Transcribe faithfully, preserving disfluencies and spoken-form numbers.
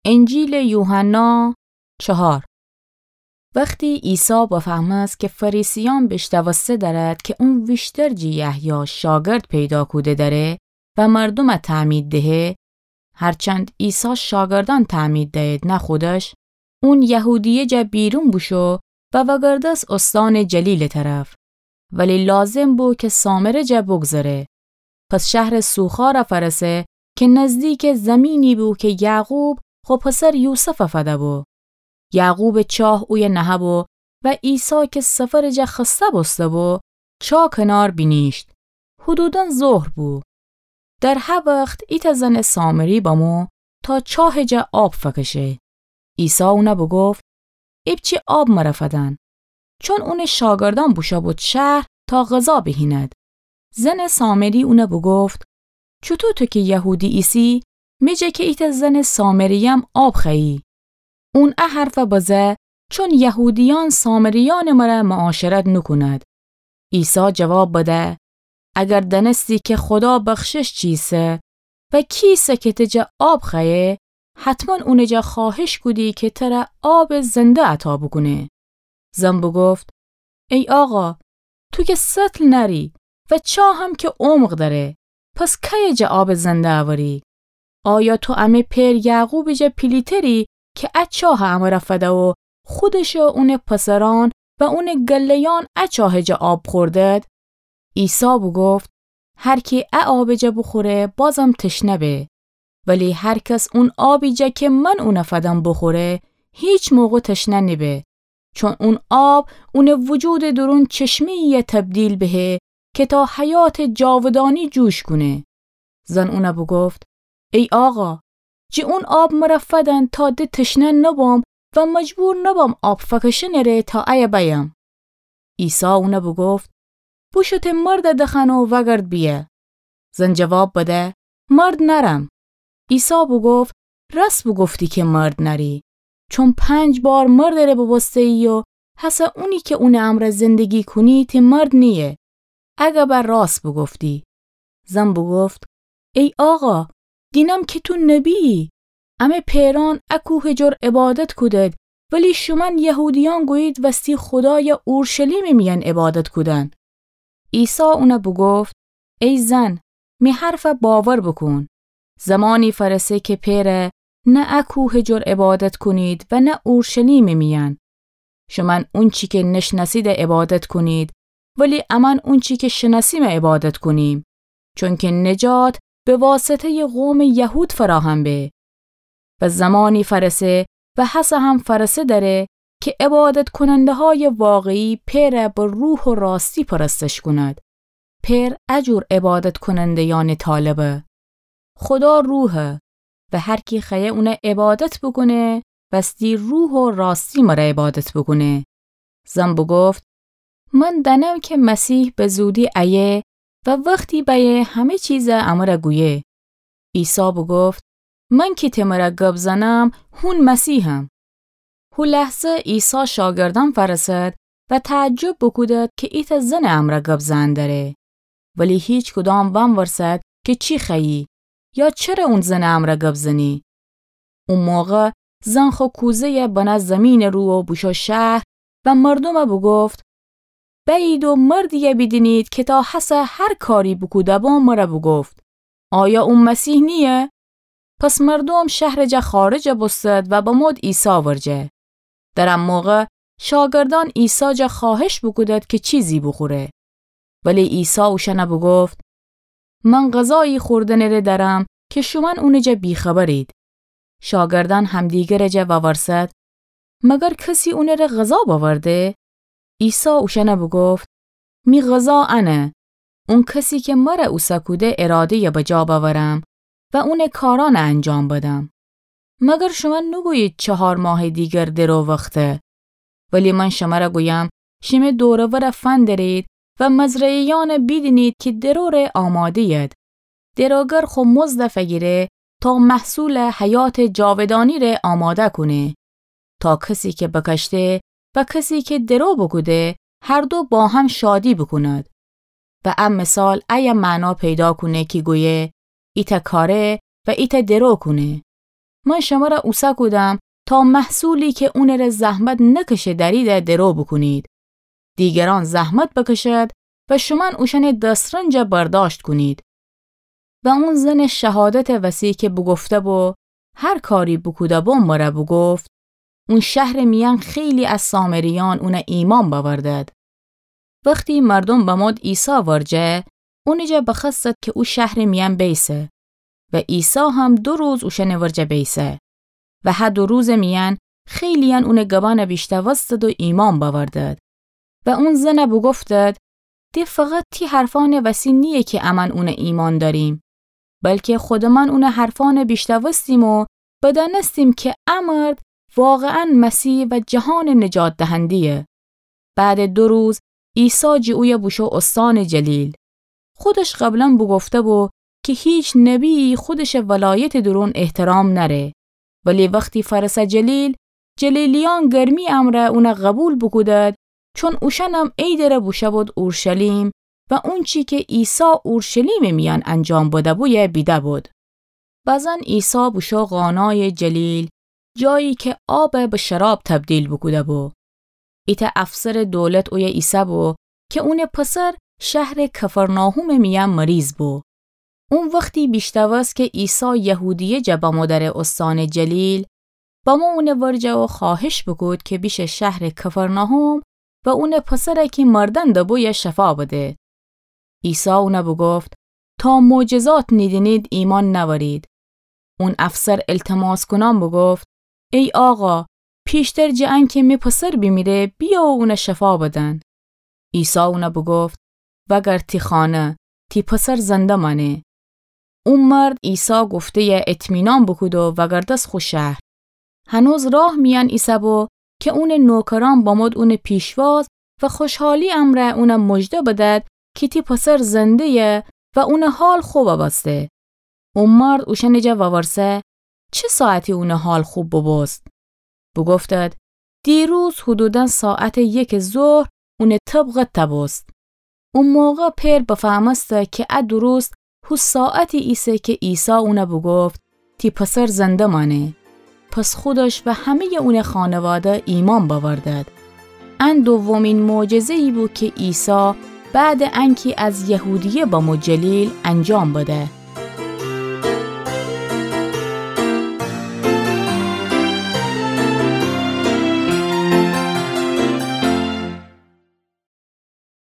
انجیلٚ یوحنا چهار. وختی عیسی بفهمست کی فریسیأن بیشنوسته دأرد کی اون ویشتر جٚه یحیی شاگرد پیدا کوده دأره و مردومَ تعمید دهه، هرچند عیسی شاگردأن تعمید دأید نه خودش، اون یهودیه جا بیرون بوشو و وأگردس استانٚ جلیلٚ طرف. ولی لازم بو کی سامره جا بگذره. پس شهرٚ سوخارَ فأرسه کی نزدیکٚ زیمینی بو کی یعقوب خو پسر یوسفَ فده بو. یعقوبٚ چاه اویه نهه بو و عیسی کی سفرٚ جا خسته بوسته بو، چاه کنار بینیشت. حدوداً ظهر بو. در هه وخت ایتأ زنٚ سامری بمو تا چاهٚ جا آب فکشه. عیسی اونَ بوگفت: ایپچه آب مره فدن. چون اونٚ شاگردأن بوشو بود شهر تا غذا بهیند. زنٚ سامری اونَ بوگفت: چوطو تو کی یهودی ایسی، می جا کی ایتأ زنٚ سامری‌یم آب خوأیی؟ اون ا حرفَ بزه، چون یهودیأن سامریأنٚ مره معاشرت نوکوند. عیسی جواب بده: اگر دأنستی کی خودا بخشش چیسه و کیسه کی تی جا آب خوأیه، حتماً اونٚ جا خوأهش کودی کی تره آبٚ زنده عطا بوکونه. زن بوگفت: ای آقا، تو کی سطل نأری و چاهم کی عمق دأره، پس کیه جا آبٚ زنده اوری؟ آیا تو امه پئر یعقوبٚ جا پیلی‌تری کی ا چاهَ امره فده و خودش و اونٚ پسرأن و اونٚ گله‌یأن ا چاهٚ جا آب خوردد؟ عیسی بوگفت: هر کی ا آبٚ جا بوخوره، بازم تشنه به. ولی هر کس اون آبی جا کی من اونَ فدم بوخوره، هیچ موقع تشنه نیبه. چون اون آب اونٚ وجودٚ دورون چشمه‌یی تبدیل بهه کی تا حیاتٚ جاودانی جوش کونه. زن اونَ بوگفت: ای آقا، جٚه اون آب مره فدن تا د تشنه نبم و مجبور نبم آب فکشنٚ ره تا ایه بأیم. عیسی اونَ بوگفت: بوشو تی مردَ دخوأن و وأگرد بیه. زن جواب بده: مرد نأرم. عیسی بوگفت: رأس بوگفتی کی مرد نأری، چون پنج بار مردٚ ره ببوسته‌یی و هسه اونی کی اونٚ امرأ زندگی کونی تی مرد نییه. اگه به رأس بوگفتی. زن بوگفت: ای آقا، دینم کی تو نبی‌یی. امه پئرأن ا کوهٚ جور عبادت کودد، ولی شومأن یهودیأن گویید وستی خودایَ اورشلیمٚ میأن عبادت کودن. عیسی اونَ بوگفت: ای زن، می حرفَ باور بوکون. زمانی فأرسه کی پئرَ نه ا کوهٚ جور عبادت کونید و نه اورشلیمٚ میأن. شومأن اونچی کی نشنأسیدَ عبادت کونید، ولی امأن اونچی کی شنأسیمَ عبادت کونیم، چونکی نجات به واسطه‌یٚ قومٚ یهود فراهم به. و زمانی فأرسه و هسه هم فأرسه دأره کی عبادت‌کوننده‌هایٚ واقعی پئرَ به روح و راستی پرستش کونید. پئر ا جور عبادت‌کوننده‌یأنٚ طالبه. خودا روحه و هر کی خوأیه اونَ عبادت بوکونه، وستی روح و راستی مره عبادت بوکونه. زن بوگفت: من دأنم کی مسیح به زودی ایه و وختی بأیه همه چیزَ امره گویه. عیسی بوگفت: من کی تی مره گب زنم، هون مسیحم. هو لحظه عیسی شاگردأن فأرسد و تعجب بوکودد کی ایتأ زنٚ امرأ گب زئن دره. ولی هیچ کدام وأنورسد کی چی خوأیی یا چره اون زنٚ امرأ گب زنی. او موقع زن خو کوزه‌یَ بنه زیمینٚ رو و بوشو شهر و مردومَ بوگفت: بأیید و مردی‌یَ بیدینید کی تا هسه هر کاری بوکوده‌بو مره بوگفت. آیا او مسیح نییه؟ پس مردوم شهرٚ جا خارجَ بوستد و بمود عیسی ورجه. در ا موقع شاگردأن عیسی جا خوأهش بوکودد کی چیزی بوخوره. ولی عیسی اوشأنَ بوگفت: من غذایی خوردنٚ ره دأرم کی شومأن اونٚ جا بی‌خبرید. شاگردأن همدیگرٚ جا وأورسد: مگر کسی اونٚ ره غذا بأورده؟ عیسی اوشأنَ بوگفت: می غذا انه، اون کسی کی مره اوسه کوده اراده‌یَ بجا بأورم و اونٚ کارأنَ انجام بدم. مگر شومأن نوگویید چهار ماهٚ دیگر درو وخته؟ ولی من شمره گویم، شیمه دور و ورَ فندرید و مزرعه‌یأنَ بیدینید کی درو ره آماده‌ید. دروگر خو مزدَ فگیره تا محصولٚ حیاتٚ جاودانی ره آماده کونه، تا کسی کی بکشته و کسی کی درو بوکوده هر دو با هم شادی بوکوند. و ا مثال ایه معنا پیدا کونه کی گویه: ایتأ کاره و ایتأ درو کونه. من شمر اوسه کودم تا محصولی کی اونٚ ره زحمت نکشه دأریده درو بوکونید. دیگرأن زحمت بکشد و شومأن اوشأنٚ دسترنج برداشت کونید. و اون زنٚ شهادتٚ وسی کی بوگفته‌بو هر کاری بوکوده‌بو مر بوگفت، اون شهرٚ میأن خیلی از سامریأن اون ایمأن بأوردد. وختی مردوم بمود عیسی ورجه، اونٚ جا بخوأستد کی او شهرٚ میأن بیسه. و عیسی هم دو روز اوشأنٚ ورجه بیسه. و هه دو روزٚ میأن خیلیأن اونٚ گبأن بیشنوستد و ایمأن بأوردد. و اون زن بوگفتد، ده فقط تی حرفأنٚ وسی نییه کی امأن اون ایمأن دأریم، بلکی خودمأن اونٚ حرفأن بیشنوستیم و بدأنستیم کی ا مرد واقعاً مسیح و جهانٚ نجات دهنده‌یه. بعدٚ دو روز عیسی جٚه اویه بوشو استانٚ جلیل. خودش قبلاً بوگفته‌بو کی هیچ نبی‌یی خودشٚ ولایتٚ دورون احترام نأره. ولی وختی فأرسه جلیل، جلیلیأن گرمی امرأ اون قبول بوکودد، چون اوشأنم عیدٚ ره بوشوبود اورشلیم و اونچی کی عیسی اورشلیمٚ میأن انجام بده‌بویه بیده‌بود. بزن عیسی بوشو قانایٚ جلیل، جایی کی آب به شراب تبدیل بوکوده‌بو. ایتأ افسرٚ دولت اویه ایسه‌بو کی اونٚ پسر شهرٚ کفرناحومٚ میأن مریض بو. اون وختی بیشنوست کی عیسی یهودیه جا بمو دأره استانٚ جلیل، بمو اونٚ ورجه و خوأهش بوکود کی بیشه شهرٚ کفرناحوم و اونٚ پسر کی مردن دبویه شفا بده. عیسی اون بوگفت، تا معجزات نیدینید ایمأن نأورید. اون افسر التماس کونأن بوگفت، ای آقا، پیشتر جٚه انکی می پسر بیمیره، بیأ و اون شفا بدن. عیسی اون بوگفت، وأگرد تی خانه، تی پسر زنده مأنه. او مرد عیسی گفته‌یه اطمینان بوکود و وأگردست خو شهر. هنوز راه میأن ایسه‌بو کی اونٚ نوکرأن بمود اونٚ پیشواز و خوشحالی امرأ اون مژده بدد کی تی پسر زنده‌یه و اونٚ حال خو ببسته. او مرد اوشأنٚ جا وورسه، چه ساعتی اونٚ حال خو ببوست؟ بوگفتد، دیروز حدوداً ساعتٚ یکٚ ظهر اونٚ طب قد تبوست. او موقع پئر بفهمسته کی ا درست هو ساعتی ایسه کی عیسی اون بوگفت، تی پسر زنده مأنه. پس خودش و همه‌یٚ اونٚ خانواده ایمأن بأوردد. ان دومین معجزه‌یی بو کی عیسی بعدٚ انکی از یهودیه بمو جلیل انجام بده.